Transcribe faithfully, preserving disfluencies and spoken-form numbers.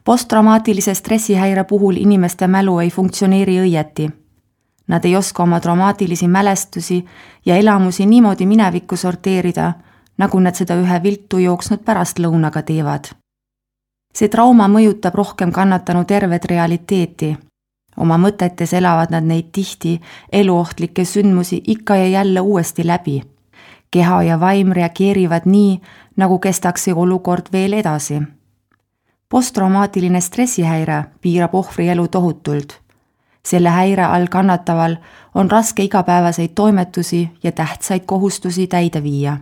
Posttraumaatilise stressihäire puhul inimeste mälu ei funktsioneeri õieti. Nad ei oska oma traumaatilisi mälestusi ja elamusi niimoodi minevikku sorteerida, nagu nad seda ühe viltu jooksnud pärastlõunaga teevad. See trauma mõjutab rohkem kannatanu tervet realiteeti. Oma mõtetes elavad nad neid tihti eluohtlikke sündmusi ikka ja jälle uuesti läbi. Keha ja vaim reageerivad nii, nagu kestaks see olukord veel edasi. Posttraumaatiline stressihäire piirab ohvri elu tohutult. Selle häire all kannataval on raske igapäevaseid toimetusi ja tähtsaid kohustusi täide viia.